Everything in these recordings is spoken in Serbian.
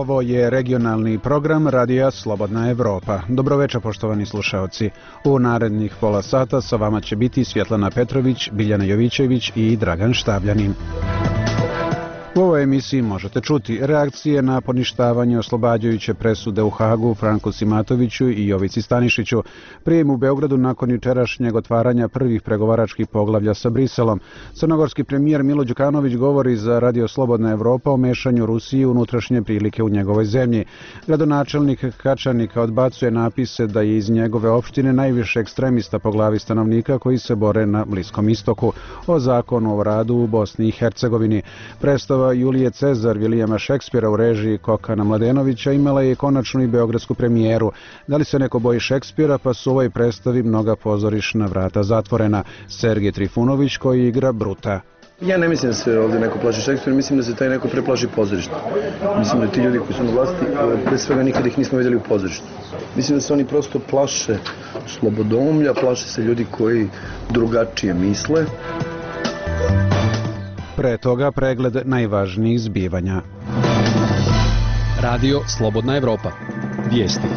Ovo je regionalni program Radija Slobodna Evropa. Dobroveče, poštovani slušaoci. U narednih pola sata sa vama će biti Svjetlana Petrović, Biljana Jovićević i Dragan Štabljanin. U ovoj emisiji možete čuti reakcije na poništavanje oslobađajuće presude u Hagu Franku Simatoviću i Jovici Stanišiću, prijem u Beogradu nakon jučerašnjeg otvaranja prvih pregovaračkih poglavlja sa Briselom. Crnogorski premijer Milo Đukanović govori za Radio Slobodna Evropa o mešanju Rusije u unutrašnje prilike u njegovoj zemlji. Gradonačelnik Kačanika odbacuje napise da je iz njegove opštine najviše ekstremista po glavi stanovnika koji se bore na Bliskom istoku. O zakonu o radu u Bosni i Hercegovini. Predstava Julije Cezar Vilijama Šekspira u režiji Kokana Mladenovića imala je konačnu i beogradsku premijeru. Da li se neko boji Šekspira, pa su u ovoj predstavi mnoga pozorišna vrata zatvorena. Sergej Trifunović koji igra Bruta. Ja ne mislim da se ovdje neko plaši Šekspira, mislim da se taj neko preplaši pozorišta. Mislim da ti ljudi koji su na vlasti, pre svega nikada ih nismo vidjeli u pozorištu. Mislim da se oni prosto plaše slobodomlja, plaše se ljudi koji drugačije misle. Pre toga pregled najvažnijih zbivanja. Radio Slobodna Evropa. Vijesti.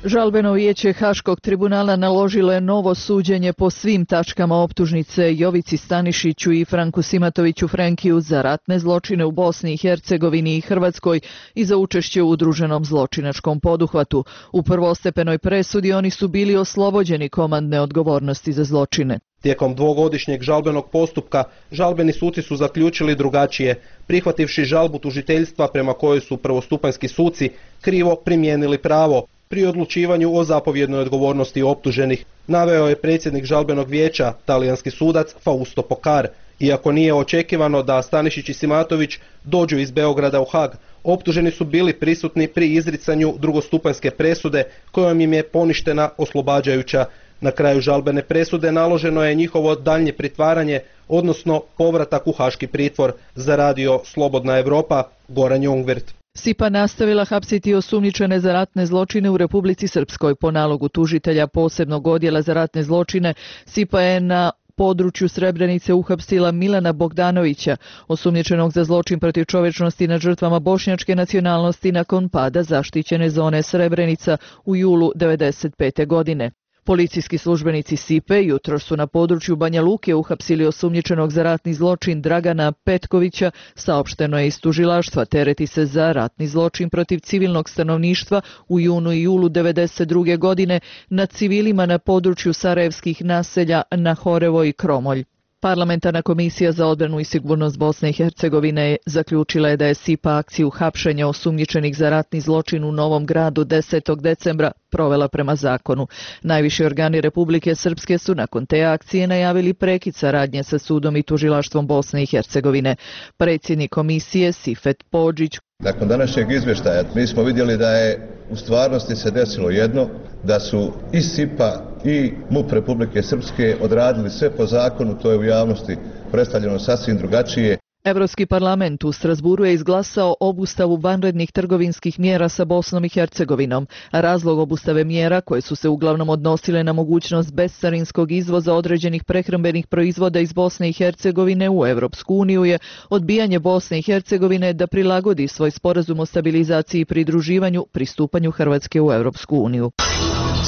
Žalbeno vijeće Haškog tribunala naložilo je novo suđenje po svim tačkama optužnice Jovici Stanišiću i Franku Simatoviću Frankiju za ratne zločine u Bosni i Hercegovini i Hrvatskoj i za učešće u udruženom zločinačkom poduhvatu. U prvostepenoj presudi oni su bili oslobođeni komandne odgovornosti za zločine. Tijekom dvogodišnjeg žalbenog postupka žalbeni suci su zaključili drugačije, prihvativši žalbu tužiteljstva prema kojoj su prvostupanjski suci krivo primijenili pravo pri odlučivanju o zapovjednoj odgovornosti optuženih, naveo je predsjednik žalbenog vijeća, talijanski sudac Fausto Pokar. Iako nije očekivano da Stanišić i Simatović dođu iz Beograda u Hag, optuženi su bili prisutni pri izricanju drugostupanjske presude kojom im je poništena oslobađajuća. Na kraju žalbene presude naloženo je njihovo daljnje pritvaranje, odnosno povratak u haški pritvor. Za Radio Slobodna Evropa, Goran Jongvirt. SIPA nastavila hapsiti osumnjičene za ratne zločine u Republici Srpskoj. Po nalogu tužitelja posebnog odjela za ratne zločine, SIPA je na području Srebrenice uhapsila Milana Bogdanovića, osumnjičenog za zločin protiv čovječnosti nad žrtvama bošnjačke nacionalnosti nakon pada zaštićene zone Srebrenica u julu 1995. godine. Policijski službenici SIPE jutros su na području Banja Luke uhapsili osumnjičenog za ratni zločin Dragana Petkovića, saopšteno je iz tužilaštva. Tereti se za ratni zločin protiv civilnog stanovništva u junu i julu 1992. godine nad civilima na području sarajevskih naselja Nahorevo i Kromolj. Parlamentarna komisija za odbranu i sigurnost Bosne i Hercegovine zaključila je da je SIPA akciju hapšenja osumnjičenih za ratni zločin u Novom Gradu 10. decembra provela prema zakonu. Najviši organi Republike Srpske su nakon te akcije najavili prekid saradnje sa sudom i tužilaštvom Bosne i Hercegovine. Predsjednik komisije Sifet Podžić. Nakon današnjeg izvještaja mi smo vidjeli da je u stvarnosti se desilo jedno, da su i SIPA i MUP Republike Srpske odradili sve po zakonu, to je u javnosti predstavljeno sasvim drugačije. Evropski parlament u Strasburu je izglasao obustavu vanrednih trgovinskih mjera sa Bosnom i Hercegovinom. Razlog obustave mjera, koje su se uglavnom odnosile na mogućnost bescarinskog izvoza određenih prehrambenih proizvoda iz Bosne i Hercegovine u Evropsku uniju, je odbijanje Bosne i Hercegovine da prilagodi svoj sporazum o stabilizaciji i pridruživanju pristupanju Hrvatske u Evropsku uniju.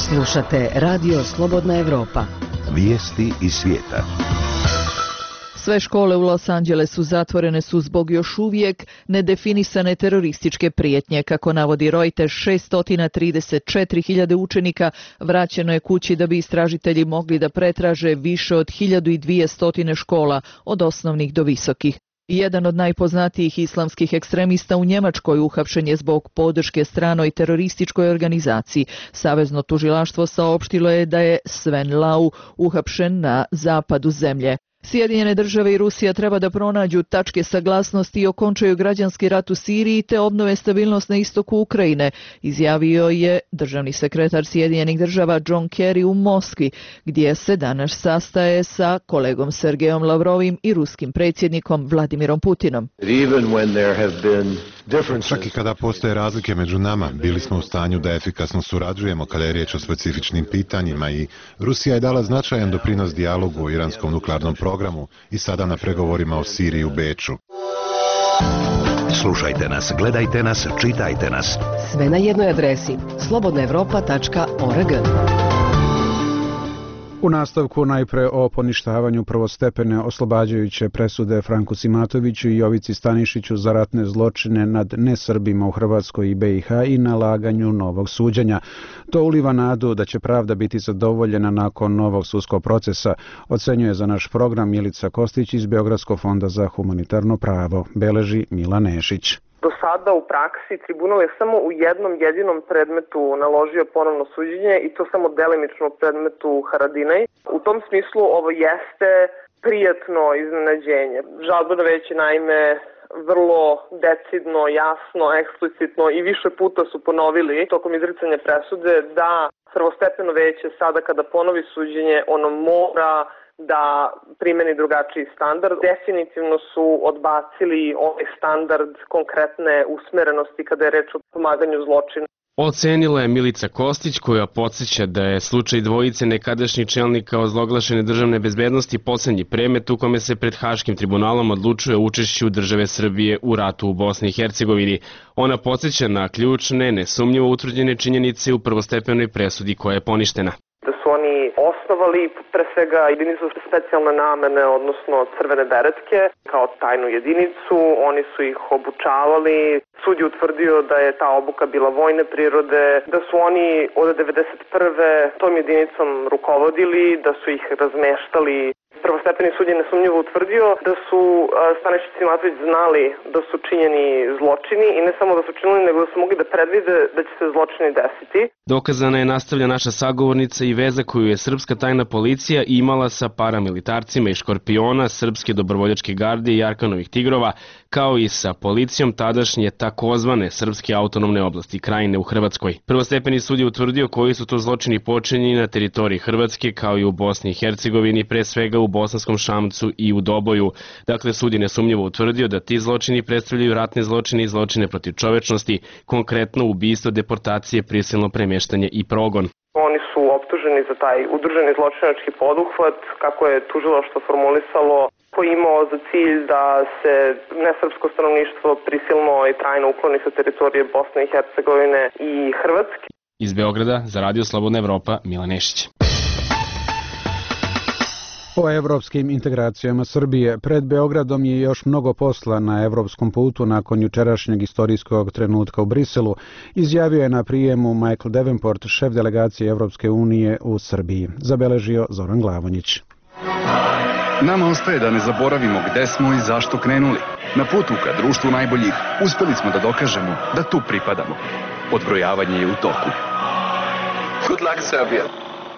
Slušate Radio Slobodna Evropa. Vijesti iz svijeta. Sve škole u Los Angelesu zatvorene su zbog još uvijek nedefinisane terorističke prijetnje. Kako navodi Reuters, 634.000 učenika vraćeno je kući da bi istražitelji mogli da pretraže više od 1200 škola, od osnovnih do visokih. Jedan od najpoznatijih islamskih ekstremista u Njemačkoj uhapšen je zbog podrške stranoj terorističkoj organizaciji. Savezno tužilaštvo saopštilo je da je Sven Lau uhapšen na zapadu zemlje. Sjedinjene države i Rusija treba da pronađu tačke saglasnosti i okončaju građanski rat u Siriji te obnove stabilnost na istoku Ukrajine, izjavio je državni sekretar Sjedinjenih država John Kerry u Moskvi, gdje se danas sastaje sa kolegom Sergejom Lavrovim i ruskim predsjednikom Vladimirom Putinom. Čak i kada postoje razlike među nama, bili smo u stanju da efikasno surađujemo kada je riječ o specifičnim pitanjima i Rusija je dala značajan doprinos dijalogu o iranskom nuklearnom programu i sada na pregovorima o Siriji u Beču. Slušajte nas, gledajte nas, čitajte nas. Sve na jednoj adresi slobodnaevropa.org. U nastavku najpre o poništavanju prvostepene oslobađajuće presude Franku Simatoviću i Jovici Stanišiću za ratne zločine nad nesrbima u Hrvatskoj i BiH i nalaganju novog suđenja. To uliva nadu da će pravda biti zadovoljena nakon novog sudskog procesa, ocenjuje za naš program Milica Kostić iz Beogradskog fonda za humanitarno pravo, beleži Milan Nešić. Do sada u praksi tribunal je samo u jednom jedinom predmetu naložio ponovno suđenje i to samo delimično u predmetu Haradinaj. U tom smislu ovo jeste prijatno iznenađenje. Žalbeno veće naime vrlo decidno, jasno, eksplicitno i više puta su ponovili tokom izricanja presude da prvostepeno veće sada kada ponovi suđenje ono mora da primeni drugačiji standard. Definitivno su odbacili ovaj standard konkretne usmerenosti kada je reč o pomaganju zločina. Ocenila je Milica Kostić, koja podsjeća da je slučaj dvojice nekadašnjih čelnika ozloglašene državne bezbednosti poslednji predmet u kome se pred Haškim tribunalom odlučuje o učešću države Srbije u ratu u Bosni i Hercegovini. Ona podsjeća na ključne, nesumnjivo utvrđene činjenice u prvostepenoj presudi koja je poništena. Da su oni osnovali pre svega jedinicu specijalne namene, odnosno crvene beretke, kao tajnu jedinicu. Oni su ih obučavali. Sud je utvrdio da je ta obuka bila vojne prirode, da su oni od 1991. tom jedinicom rukovodili, da su ih razmeštali. Prvostepeni sud je nesumnjivo utvrdio da su Stanišić i Simatović znali da su činjeni zločini i ne samo da su činili, nego da su mogli da predvide da će se zločini desiti. Dokazana je, nastavlja naša sagovornica, i veza koju je srpska tajna policija imala sa paramilitarcima iz Škorpiona, Srpske dobrovoljačke garde i Arkanovih tigrova, kao i sa policijom tadašnje takozvane Srpske autonomne oblasti Krajine u Hrvatskoj. Prvostepeni sud je utvrdio koji su to zločini počinjeni na teritoriji Hrvatske, kao i u Bosni i Hercegovini, pre svega u Bosanskom Šamcu i u Doboju. Dakle, sud je nesumnjivo utvrdio da ti zločini predstavljaju ratne zločine i zločine protiv čovečnosti, konkretno ubistvo, deportacije, prisilno premeštanje i progon. Oni su optuženi za taj udruženi zločinački poduhvat, kako je tužilaštvo formulisalo, koji je imao za cilj da se nesrpsko stanovništvo prisilno i trajno ukloni sa teritorije Bosne i Hercegovine i Hrvatske. Iz Beograda za Radio Slobodna Evropa, Milan Nešić. O evropskim integracijama Srbije. Pred Beogradom je još mnogo posla na evropskom putu nakon jučerašnjeg istorijskog trenutka u Briselu, izjavio je na prijemu Michael Davenport, šef delegacije Evropske unije u Srbiji. Zabeležio Zoran Glavonjić. Nama ostaje da ne zaboravimo gde smo i zašto krenuli. Na putu ka društvu najboljih uspeli smo da dokažemo da tu pripadamo. Odbrojavanje je u toku. Good luck, Serbia.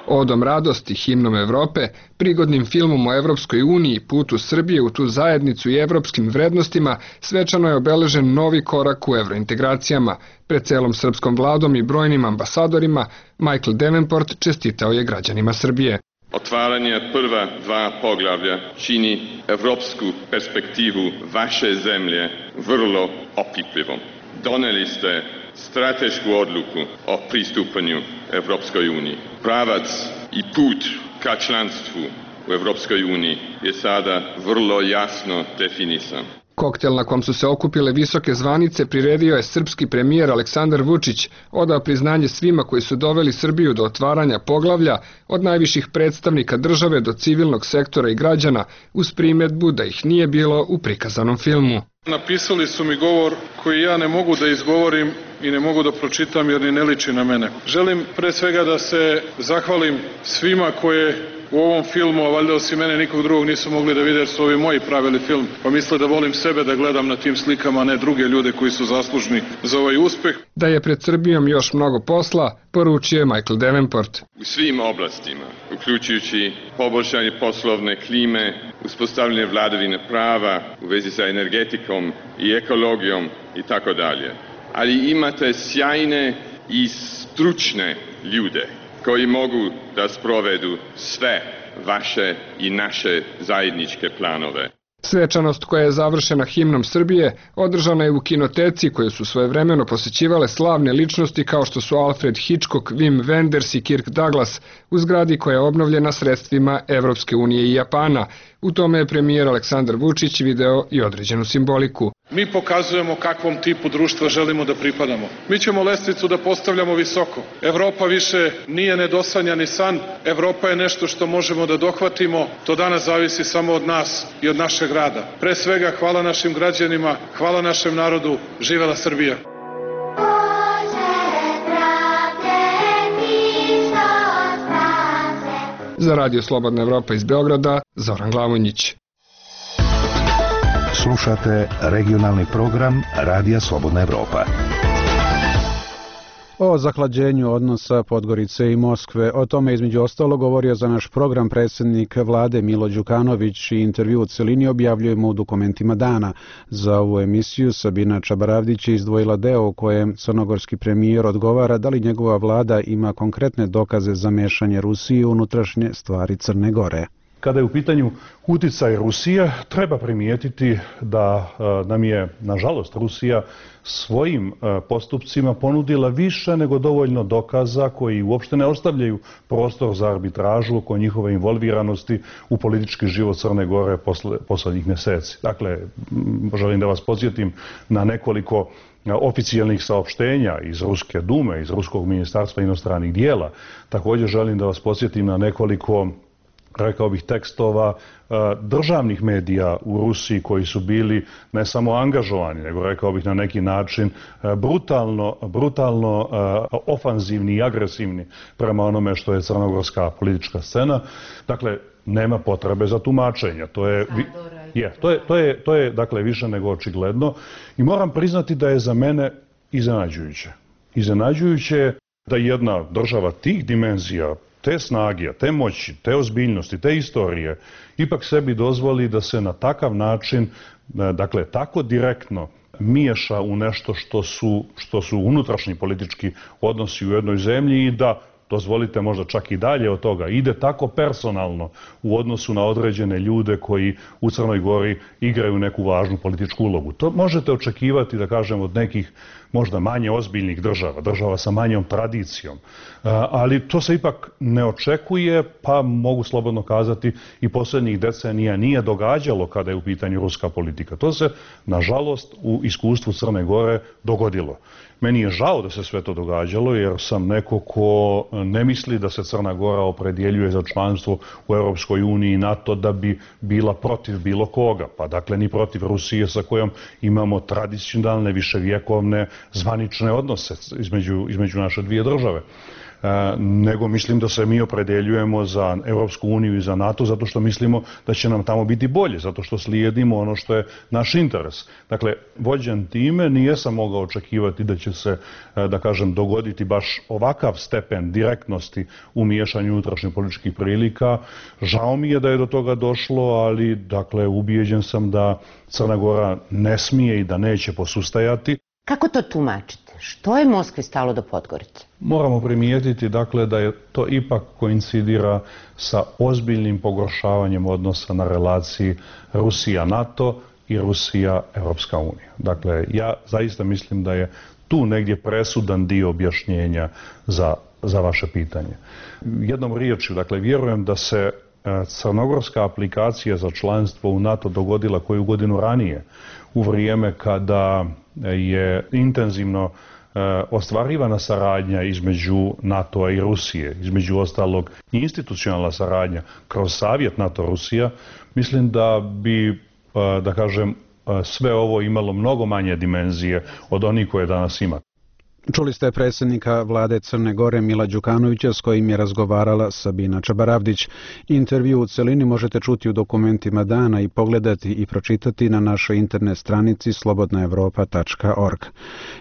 Odom radosti, himnom Evrope, prigodnim filmom o Evropskoj uniji, putu Srbije u tu zajednicu i evropskim vrednostima, svečano je obeležen novi korak u evrointegracijama. Pred celom srpskom vladom i brojnim ambasadorima, Michael Davenport čestitao je građanima Srbije. Otvaranje prva dva poglavlja čini evropsku perspektivu vaše zemlje vrlo opipljivom. Doneli ste stratešku odluku o pristupanju Evropskoj uniji. Pravac i put ka članstvu u Evropskoj uniji je sada vrlo jasno definisan. Koktel na kom su se okupile visoke zvanice priredio je srpski premijer Aleksandar Vučić, odao priznanje svima koji su doveli Srbiju do otvaranja poglavlja, od najviših predstavnika države do civilnog sektora i građana, uz primedbu da ih nije bilo u prikazanom filmu. Napisali su mi govor koji ja ne mogu da izgovorim i ne mogu da pročitam jer ni ne liči na mene. Želim pre svega da se zahvalim svima koje u ovom filmu, a valjda osim mene nikog drugog nisu mogli da vide jer su ovi moji pravili film, pa misle da volim sebe da gledam na tim slikama, a ne druge ljude koji su zaslužni za ovaj uspeh. Da je pred Srbijom još mnogo posla, poručio je Michael Davenport. U svim oblastima, uključujući poboljšanje poslovne klime, uspostavljanje vladavine prava u vezi sa energetikom i ekologijom i tako dalje. Ali imate sjajne i stručne ljude koji mogu da sprovedu sve vaše i naše zajedničke planove. Svečanost koja je završena himnom Srbije održana je u kinoteci koje su svojevremeno posećivale slavne ličnosti kao što su Alfred Hitchcock, Wim Wenders i Kirk Douglas, u zgradi koja je obnovljena sredstvima Evropske unije i Japana. U tome je premijer Aleksandar Vučić video i određenu simboliku. mi pokazujemo kakvom tipu društva želimo da pripadamo. Mi ćemo lestvicu da postavljamo visoko. Evropa više nije nedosanjani san, Evropa je nešto što možemo da dohvatimo, to danas zavisi samo od nas i od našeg rada. Pre svega, hvala našim građanima, hvala našem narodu, živela Srbija! Za Radio Slobodna Evropa iz Beograda, Zoran Glavonjić. Slušate regionalni program Radija Slobodna Evropa. O zahlađenju odnosa Podgorice i Moskve. O tome između ostalo govorio za naš program predsjednik vlade Milo Đukanović i intervju u celini objavljujemo u dokumentima dana. Za ovu emisiju Sabina Čabaravdić je izdvojila deo u kojem crnogorski premijer odgovara da li njegova vlada ima konkretne dokaze za mešanje Rusije u unutrašnje stvari Crne Gore. Kada je u pitanju uticaj Rusije, treba primijetiti da nam je, nažalost, Rusija svojim postupcima ponudila više nego dovoljno dokaza koji uopšte ne ostavljaju prostor za arbitražu oko njihove involviranosti u politički život Crne Gore poslednjih mjeseci. Dakle, želim da vas podsjetim na nekoliko oficijalnih saopštenja iz Ruske dume, iz Ruskog ministarstva inostranih dijela. Također želim da vas podsjetim na nekoliko, rekao bih, tekstova državnih medija u Rusiji koji su bili ne samo angažovani, nego rekao bih na neki način brutalno ofanzivni i agresivni prema onome što je crnogorska politička scena. Dakle, nema potrebe za tumačenja. To je dakle više nego očigledno i moram priznati da je za mene iznenađujuće. Iznenađujuće je da jedna država tih dimenzija, te snage, te moći, te ozbiljnosti, te istorije, ipak sebi dozvoli da se na takav način, dakle tako direktno miješa u nešto što su unutrašnji politički odnosi u jednoj zemlji i da, dozvolite možda čak i dalje od toga, ide tako personalno u odnosu na određene ljude koji u Crnoj Gori igraju neku važnu političku ulogu. To možete očekivati, da kažem, od nekih možda manje ozbiljnih država sa manjom tradicijom, ali to se ipak ne očekuje, pa mogu slobodno kazati i posljednjih decenija nije događalo kada je u pitanju ruska politika. To se, nažalost, u iskustvu Crne Gore dogodilo. Meni je žao da se sve to događalo, jer sam neko ko ne misli da se Crna Gora opredjeljuje za članstvo u Europskoj uniji i NATO da bi bila protiv bilo koga, pa dakle ni protiv Rusije sa kojom imamo tradicionalne, viševjekovne, zvanične odnose između naše dvije države. Nego mislim da se mi opredeljujemo za Europsku uniju i za NATO zato što mislimo da će nam tamo biti bolje, zato što slijedimo ono što je naš interes. Dakle, vođen time nijesam mogao očekivati da će se, da kažem, dogoditi baš ovakav stepen direktnosti u miješanju unutrašnjih političkih prilika. Žao mi je da je do toga došlo, ali dakle, ubijeđen sam da Crna Gora ne smije i da neće posustajati. Kako to tumačite? Što je Moskvi stalo do Podgorice? Moramo primijetiti, dakle, da je to ipak koincidira sa ozbiljnim pogoršavanjem odnosa na relaciji Rusija-NATO i Rusija-Europska unija. Dakle, ja zaista mislim da je tu negdje presudan dio objašnjenja za vaše pitanje. Jednom riječju, dakle, vjerujem da se crnogorska aplikacija za članstvo u NATO dogodila koju godinu ranije, u vrijeme kada je intenzivno ostvarivana saradnja između NATO-a i Rusije, između ostalog i institucionalna saradnja kroz Savjet NATO-Rusija. Mislim da bi, da kažem, sve ovo imalo mnogo manje dimenzije od onih koje danas ima. Čuli ste predsjednika vlade Crne Gore Mila Đukanovića s kojim je razgovarala Sabina Čabaravdić. Intervju u celini možete čuti u dokumentima dana i pogledati i pročitati na našoj internet stranici slobodnaevropa.org.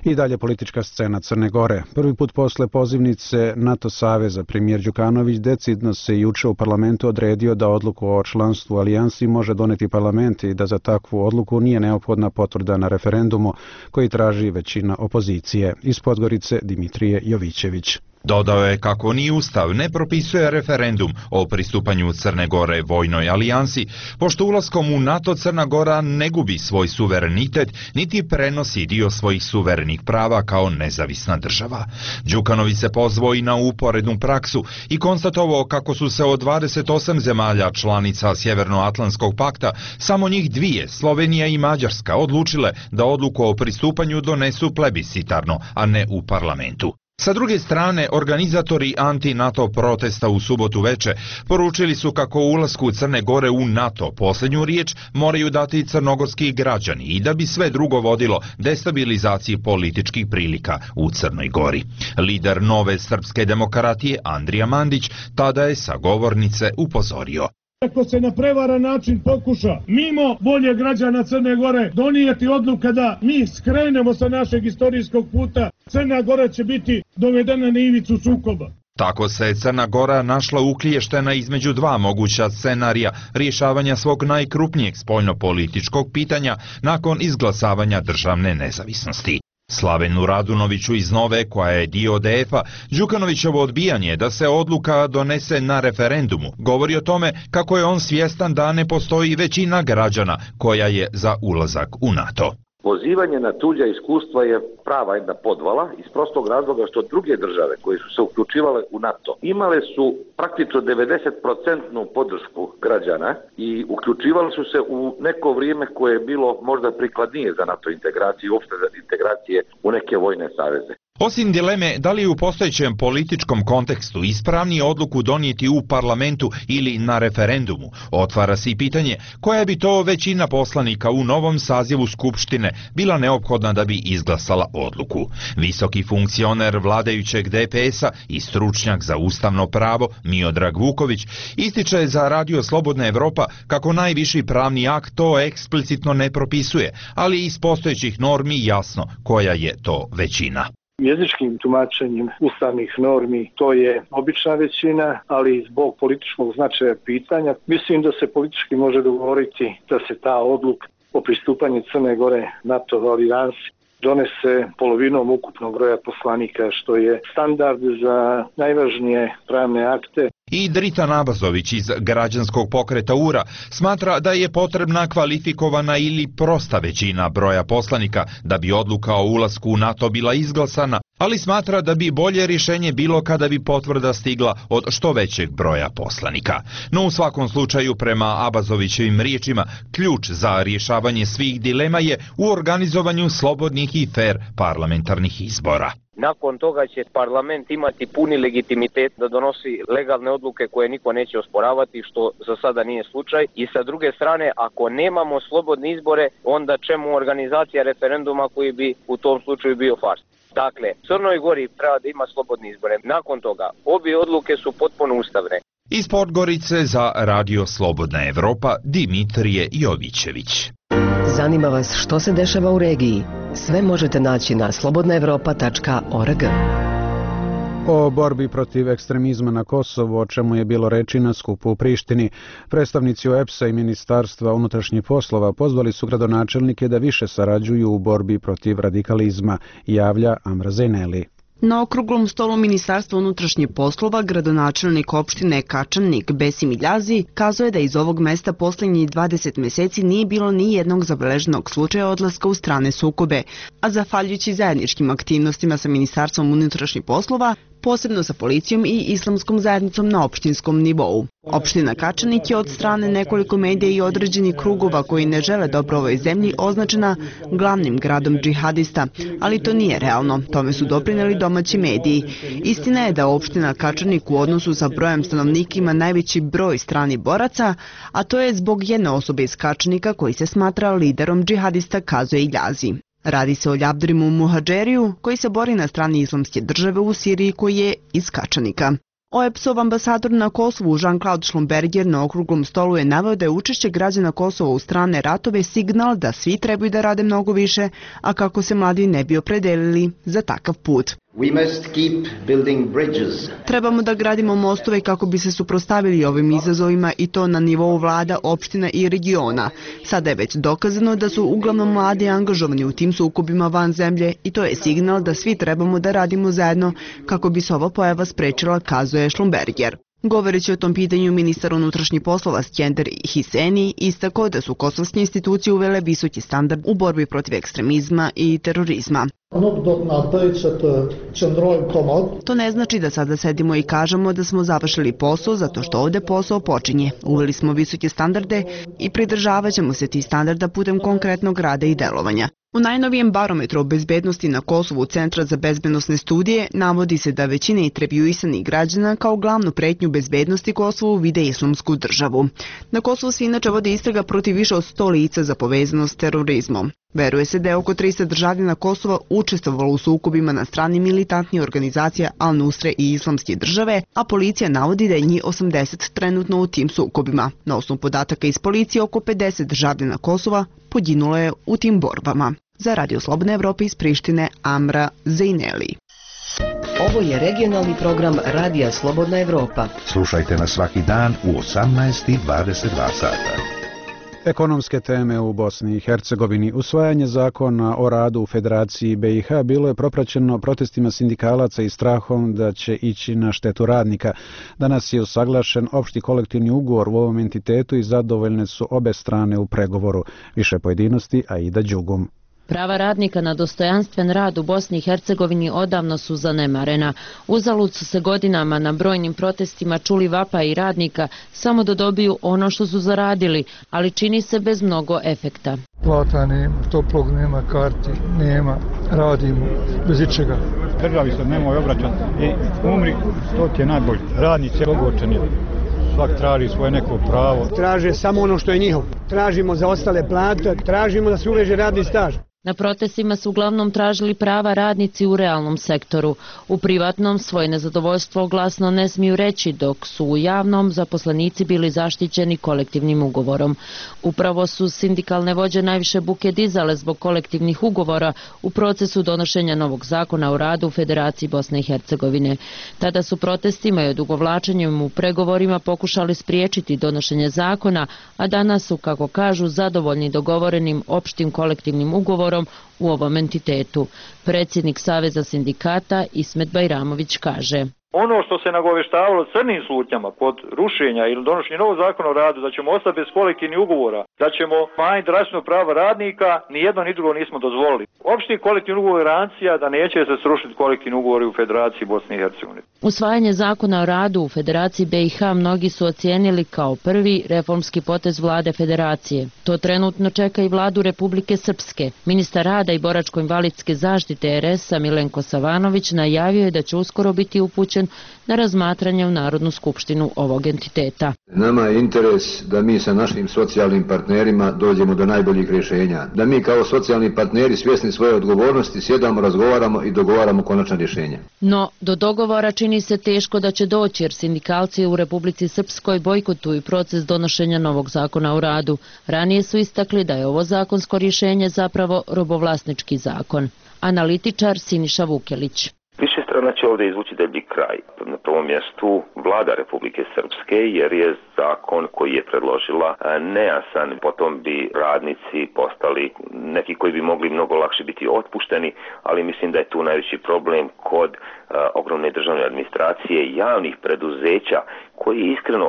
I dalje politička scena Crne Gore. Prvi put posle pozivnice NATO saveza premijer Đukanović decidno se juče u parlamentu odredio da odluku o članstvu alijansi može doneti parlament i da za takvu odluku nije neophodna potvrda na referendumu koji traži većina opozicije. Iz Podgorice Dimitrije Jovićević. Dodao je kako ni Ustav ne propisuje referendum o pristupanju Crne Gore vojnoj alijansi, pošto ulaskom u NATO Crna Gora ne gubi svoj suverenitet, niti prenosi dio svojih suverenih prava kao nezavisna država. Đukanović se pozvao i na uporednu praksu i konstatovao kako su se od 28 zemalja članica Sjevernoatlantskog pakta samo njih dvije, Slovenija i Mađarska, odlučile da odluku o pristupanju donesu plebiscitarno, a ne u parlamentu. Sa druge strane, organizatori anti-NATO protesta u subotu veče poručili su kako u ulasku Crne Gore u NATO posljednju riječ moraju dati crnogorski građani i da bi sve drugo vodilo destabilizaciji političkih prilika u Crnoj Gori. Lider Nove srpske demokratije Andrija Mandić tada je sa govornice upozorio. Ako se na prevaran način pokuša mimo volje građana Crne Gore donijeti odluka da mi skrenemo sa našeg istorijskog puta, Crna Gora će biti dovedena na ivicu sukoba. Tako se Crna Gora našla uklještena između dva moguća scenarija rješavanja svog najkrupnijeg spoljnopolitičkog pitanja nakon izglasavanja državne nezavisnosti. Slavenu Radunoviću iz Nove, koja je dio DF-a, Đukanovićevo odbijanje da se odluka donese na referendumu govori o tome kako je on svjestan da ne postoji većina građana koja je za ulazak u NATO. Pozivanje na tuđa iskustva je prava jedna podvala iz prostog razloga što druge države koje su se uključivale u NATO imale su praktično 90% podršku građana i uključivali su se u neko vrijeme koje je bilo možda prikladnije za NATO integraciju i uopšte za integracije u neke vojne saveze. Osim dileme da li u postojećem političkom kontekstu ispravnije odluku donijeti u parlamentu ili na referendumu, otvara se i pitanje koja bi to većina poslanika u novom sazivu Skupštine bila neophodna da bi izglasala odluku. Visoki funkcioner vladajućeg DPS-a i stručnjak za ustavno pravo Miodrag Vuković ističe za Radio Slobodna Evropa kako najviši pravni akt to eksplicitno ne propisuje, ali iz postojećih normi jasno koja je to većina. Jezičkim tumačenjem ustavnih normi to je obična većina, ali zbog političkog značaja pitanja mislim da se politički može dogovoriti da se ta odluka o pristupanju Crne Gore NATO alijansi donese polovinom ukupnog broja poslanika, što je standard za najvažnije pravne akte. I Dritan Abazović iz građanskog pokreta URA smatra da je potrebna kvalifikovana ili prosta većina broja poslanika da bi odluka o ulasku u NATO bila izglasana, ali smatra da bi bolje rješenje bilo kada bi potvrda stigla od što većeg broja poslanika. No u svakom slučaju, prema Abazovićevim riječima, ključ za rješavanje svih dilema je u organizovanju slobodnih i fer parlamentarnih izbora. Nakon toga će parlament imati puni legitimitet da donosi legalne odluke koje niko neće osporavati, što za sada nije slučaj. I sa druge strane, ako nemamo slobodne izbore, onda čemu organizacija referenduma koji bi u tom slučaju bio fars? Dakle, Crnoj Gori treba da ima slobodne izbore. Nakon toga, obje odluke su potpuno ustavne. Iz Podgorice za Radio Slobodna Evropa Dimitrije Jovićević. Zanima vas što se dešava u regiji? Sve možete naći na slobodnaevropa.org. O borbi protiv ekstremizma na Kosovu, o čemu je bilo reči na skupu u Prištini, predstavnici OEBS-a i Ministarstva unutrašnjih poslova pozvali su gradonačelnike da više sarađuju u borbi protiv radikalizma, javlja Amra Zejneli. Na okruglom stolu Ministarstva unutrašnjih poslova gradonačelnik opštine Kačanik Besim Iljazi kazuje da iz ovog mesta posljednjih 20 mjeseci nije bilo ni jednog zabeleženog slučaja odlaska u strane sukobe, a zahvaljujući zajedničkim aktivnostima sa Ministarstvom unutrašnjih poslova, posebno sa policijom i islamskom zajednicom na opštinskom nivou. Opština Kačanik je od strane nekoliko medija i određenih krugova koji ne žele dobro ovoj zemlji označena glavnim gradom džihadista, ali to nije realno, tome su doprineli domaći mediji. Istina je da opština Kačanik u odnosu sa brojem stanovnika ima najveći broj stranih boraca, a to je zbog jedne osobe iz Kačanika koji se smatra liderom džihadista, kazuje Iljazi. Radi se o Ljabdrimu Muhadžeriju koji se bori na strani islamske države u Siriji, koji je iz Kačanika. OEBS-ov ambasador na Kosovu Jean-Claude Schlumberger na okruglom stolu je naveo da je učešće građana Kosova u strane ratove signal da svi trebaju da rade mnogo više, a kako se mladi ne bi opredelili za takav put. Trebamo da gradimo mostove kako bi se suprotstavili ovim izazovima i to na nivou vlada, opština i regiona. Sada je već dokazano da su uglavnom mladi angažovani u tim sukobima van zemlje i to je signal da svi trebamo da radimo zajedno kako bi se ova pojava sprečila, kazuje Schlumberger. Govoreći o tom pitanju, ministar unutrašnjih poslova Skender Hiseni istakao da su kosovske institucije uvele visoki standard u borbi protiv ekstremizma i terorizma. To ne znači da sada sedimo i kažemo da smo završili posao zato što ovde posao počinje. Uveli smo visoke standarde i pridržavat ćemo se tih standarda putem konkretnog rada i delovanja. U najnovijem barometru o bezbednosti na Kosovu Centra za bezbednosne studije navodi se da većina intervjuisanih građana kao glavnu pretnju bezbednosti Kosovu vide islamsku državu. Na Kosovu se inače vodi istraga protiv više od 100 lica za povezanost s terorizmom. Veruje se da je oko 300 državljana Kosova učestvovalo u sukobima na strani militantnih organizacija Al-Nusre i Islamske države, a policija navodi da je njih 80 trenutno u tim sukobima. Na osnovu podataka iz policije, oko 50 državljana Kosova poginulo je u tim borbama. Za Radio Slobodna Evropa iz Prištine, Amra Zejneli. Ovo je regionalni program Radija Slobodna Evropa. Slušajte nas svaki dan u 18:22 sata. Ekonomske teme u Bosni i Hercegovini. Usvajanje zakona o radu u Federaciji BiH bilo je propraćeno protestima sindikalaca i strahom da će ići na štetu radnika. Danas je usaglašen opšti kolektivni ugovor u ovom entitetu i zadovoljne su obe strane u pregovoru. Više pojedinosti, Aida Đugum. Prava radnika na dostojanstven rad u Bosni i Hercegovini odavno su zanemarena. Uzalud su se godinama na brojnim protestima čuli vapaji radnika samo da dobiju ono što su zaradili, ali čini se bez mnogo efekta. Plata nema, toplog nema, karti nema, radimo bez ičega. Državi se nemoj obraćati i umri, to ti je najbolje. Radnici ogorčeni. Svak traži svoje neko pravo. Traže samo ono što je njihovo. Tražimo za ostale plate, tražimo da se uveže radni staž. Na protestima su uglavnom tražili prava radnici u realnom sektoru. U privatnom svoje nezadovoljstvo glasno ne smiju reći, dok su u javnom zaposlenici bili zaštićeni kolektivnim ugovorom. Upravo su sindikalne vođe najviše buke dizale zbog kolektivnih ugovora u procesu donošenja novog zakona o radu u Federaciji Bosne i Hercegovine. Tada su protestima i odugovlačenjem u pregovorima pokušali spriječiti donošenje zakona, a danas su, kako kažu, zadovoljni dogovorenim opštim kolektivnim ugovorom u ovom entitetu. Predsjednik Saveza sindikata Ismet Bajramović kaže: Ono što se nagoveštavalo crnim slutnjama pod rušenja ili donošenje novog zakona o radu, da ćemo ostati bez kolektivnih ugovora, da ćemo manjiti drastično prava radnika, ni jedno ni drugo nismo dozvolili. Opšti kolektivni ugovor je garancija da neće se srušiti kolektivni ugovori u Federaciji Bosne i Hercegovine. Usvajanje zakona o radu u Federaciji BiH mnogi su ocijenili kao prvi reformski potez vlade Federacije. To trenutno čeka i vladu Republike Srpske. Ministar rada i boračko-invalidske zaštite RS-a Milenko Savanović najavio je da će uskoro biti upućen na razmatranje u Narodnu skupštinu ovog entiteta. Nama je interes da mi sa našim socijalnim partnerima dođemo do najboljih rješenja. Da mi kao socijalni partneri svjesni svoje odgovornosti sjedamo, razgovaramo i dogovaramo konačna rješenja. No, do dogovora čini se teško da će doći jer sindikalci u Republici Srpskoj bojkotuju proces donošenja novog zakona o radu. Ranije su istakli da je ovo zakonsko rješenje zapravo robovlasnički zakon. Analitičar Siniša Vukelić. Više strana će ovdje izvući deblji kraj. Na prvom mjestu vlada Republike Srpske jer je zakon koji je predložila nejasan. Potom bi radnici postali neki koji bi mogli mnogo lakše biti otpušteni, ali mislim da je tu najveći problem kod ogromne državne administracije, javnih preduzeća koji iskreno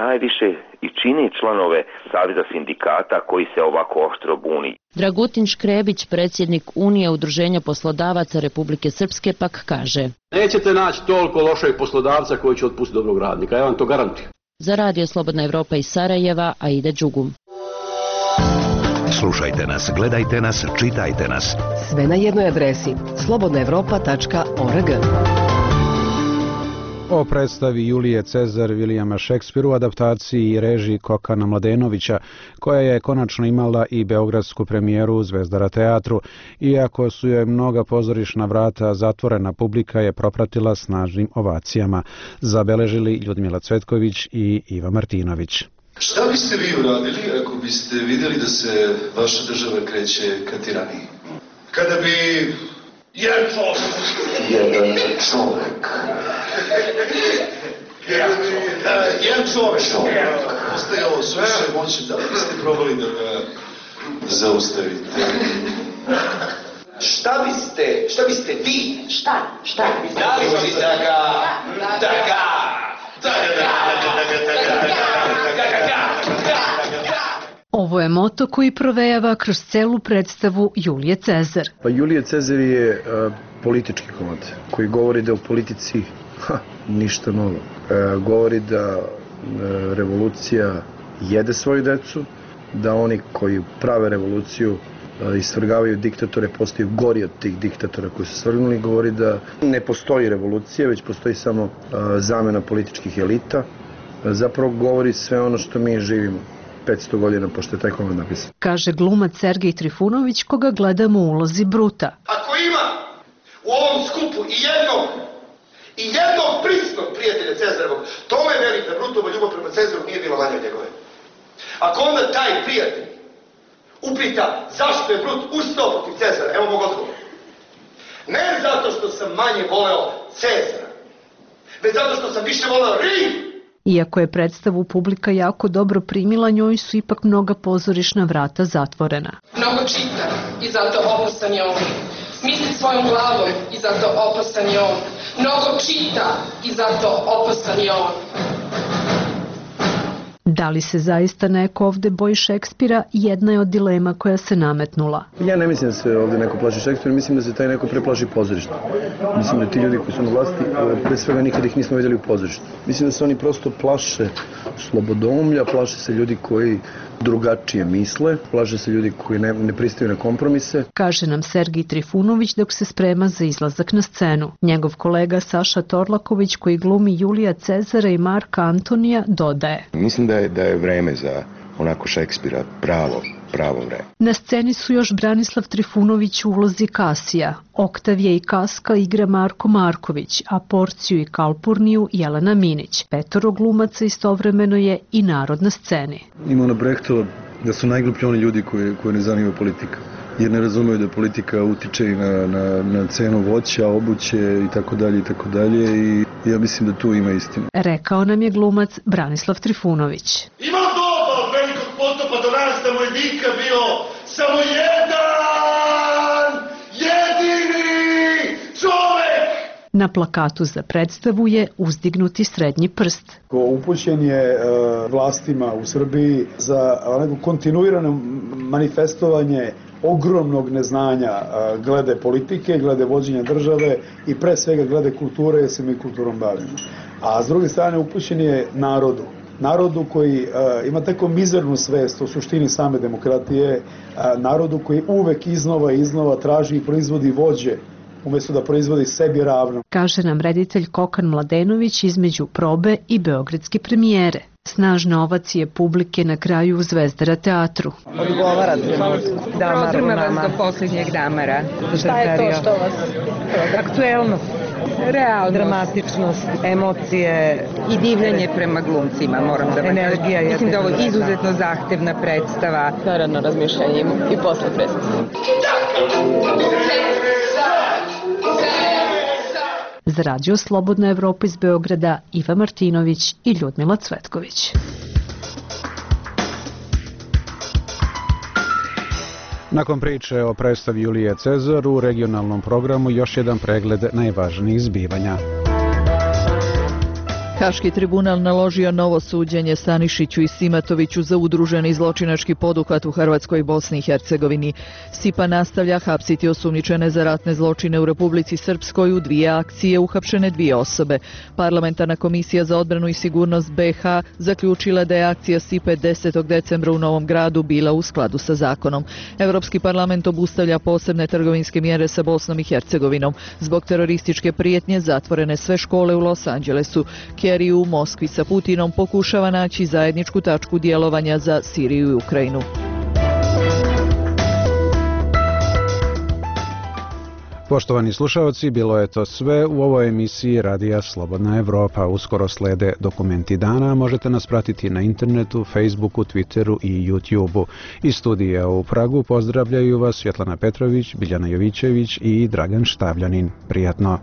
najviše i čini članove Saveza sindikata koji se ovako oštro buni. Dragutin Škrebić, predsjednik Unije udruženja poslodavaca Republike Srpske, pak kaže: Nećete naći toliko lošeg poslodavca koji će otpustiti dobrog radnika, ja vam to garantujem. Za Radio Slobodna Evropa iz Sarajeva, Aida Đugum. Slušajte nas, gledajte nas, čitajte nas. Sve na jednoj adresi slobodnaevropa.org. O predstavi Julije Cezar Vilijama Šekspira u adaptaciji i režiji Kokana Mladenovića, koja je konačno imala i beogradsku premijeru u Zvezdara teatru. Iako su joj mnoga pozorišna vrata zatvorena, publika je propratila snažnim ovacijama. Zabeležili Ljudmila Cvetković i Iva Martinović. Šta biste vi uradili ako biste vidjeli da se vaša država kreće ka tiraniji? Kada bi Jedan čovjek. Jedan čovjek. Jedan čovjek. Ostaje ovo suše moći, da li ste probali da ga zaustavite? Šta biste vi? Šta? Da li bi da ga... Ovo je moto koji provejava kroz celu predstavu Julije Cezar. Pa Julije Cezar je politički komad koji govori da u politici ništa novo. Govori da revolucija jede svoju decu, da oni koji prave revoluciju isvrgavaju diktatore, postaju gori od tih diktatora koji su svrgnuli. Govori da ne postoji revolucija, već postoji samo zamena političkih elita. Zapravo govori sve ono što mi živimo 500 godina pošto je taj komad napisan. Kaže glumac Sergej Trifunović, koga gledamo u ulozi Bruta. Ako ima u ovom skupu i jednog prisnog prijatelja Cezarovog, to me veri da Brutova ljubav prema Cezaru nije bila manja od njegove. Ako onda taj prijatelj upita zašto je Brut ustao protiv Cezara, evo mog odgovora. Ne zato što sam manje voleo Cezara, već zato što sam više voleo Rim. Iako je predstavu publika jako dobro primila, njoj su ipak mnoga pozorišna vrata zatvorena. Mnogo čita i zato opasan je on. Misli svojom glavom i zato opasan je on. Mnogo čita i zato opasan je on. Da li se zaista neko ovde boji Šekspira, jedna je od dilema koja se nametnula. Ja ne mislim da se ovde neko plaši Šekspira, mislim da se taj neko preplaši pozorišta. Mislim da ti ljudi koji su na vlasti, pre svega nikada ih nismo vidjeli u pozorištu. Mislim da se oni prosto plaše slobodomlja, plaše se ljudi koji drugačije misle, plaše se ljudi koji ne pristaju na kompromise. Kaže nam Sergej Trifunović dok se sprema za izlazak na scenu. Njegov kolega Saša Torlaković, koji glumi Julija Cezara i Marka Antonija, dodaje. Mislim da je vreme za onako Šekspira pravo vreme. Na sceni su još Branislav Trifunović u ulozi Kasija, Oktavija i Kaska igra Marko Marković, a Porciju i Kalpurniju Jelena Minić. 5 glumaca istovremeno je i narod na sceni. Ima ona Brechtova da su najgluplji oni ljudi koji ne zanima politika, jer ne razumeju da politika utiče i na cenu voća, obuće i tako dalje i ja mislim da tu ima istinu. Rekao nam je glumac Branislav Trifunović. Ima doba od velikog potopa do rasta moj vika bio samo jedan, jedini čovek. Na plakatu za predstavu je uzdignuti srednji prst. Upućen je vlastima u Srbiji za neko kontinuirano manifestovanje ogromnog neznanja glede politike, glede vođenja države i pre svega glede kulture, jer se mi kulturom bavimo. A s druge strane upućen je narodu koji ima tako mizernu svest o suštini same demokratije, narodu koji uvek iznova traži i proizvodi vođe umjesto da proizvodi sebi ravno. Kaže nam reditelj Kokan Mladenović između probe i beogradske premijere. Snažne ovacije publike na kraju u Zvezdara teatru. Odgovara trenutku. Prodrma vas do posljednjeg damara. Šta je to što vas? Aktuelnost, realnost, dramatičnost, emocije i divljenje prema glumcima, moram da vam kažem. Mislim da ovo je izuzetno zahtevna predstava. Naravno razmišljanje i posle predstave. Za Radio Slobodna Evropa iz Beograda, Iva Martinović i Ljudmila Cvetković. Nakon priče o predstavi Julije Cezar u regionalnom programu još jedan pregled najvažnijih zbivanja. Haški tribunal naložio novo suđenje Stanišiću i Simatoviću za udruženi zločinački poduhvat u Hrvatskoj i Bosni i Hercegovini. Stipa nastavlja hapsiti osumnjičene za ratne zločine u Republici Srpskoj. U 2 akcije uhapšene 2 osobe. Parlamentarna komisija za odbranu i sigurnost BiH zaključila da je akcija Stipe 10. decembra u Novom Gradu bila u skladu sa zakonom. Europski parlament obustavlja posebne trgovinske mjere sa Bosnom i Hercegovinom. Zbog terorističke prijetnje zatvorene sve škole u Los Angelesu. Kerry u Moskvi sa Putinom pokušava naći zajedničku tačku djelovanja za Siriju i Ukrajinu. Poštovani slušaoci, bilo je to sve u ovoj emisiji Radija Slobodna Evropa. Uskoro slede dokumenti dana, možete nas pratiti na internetu, Facebooku, Twitteru i YouTubeu. Iz studija u Pragu pozdravljaju vas Svjetlana Petrović, Biljana Jovićević i Dragan Štavljanin. Prijatno!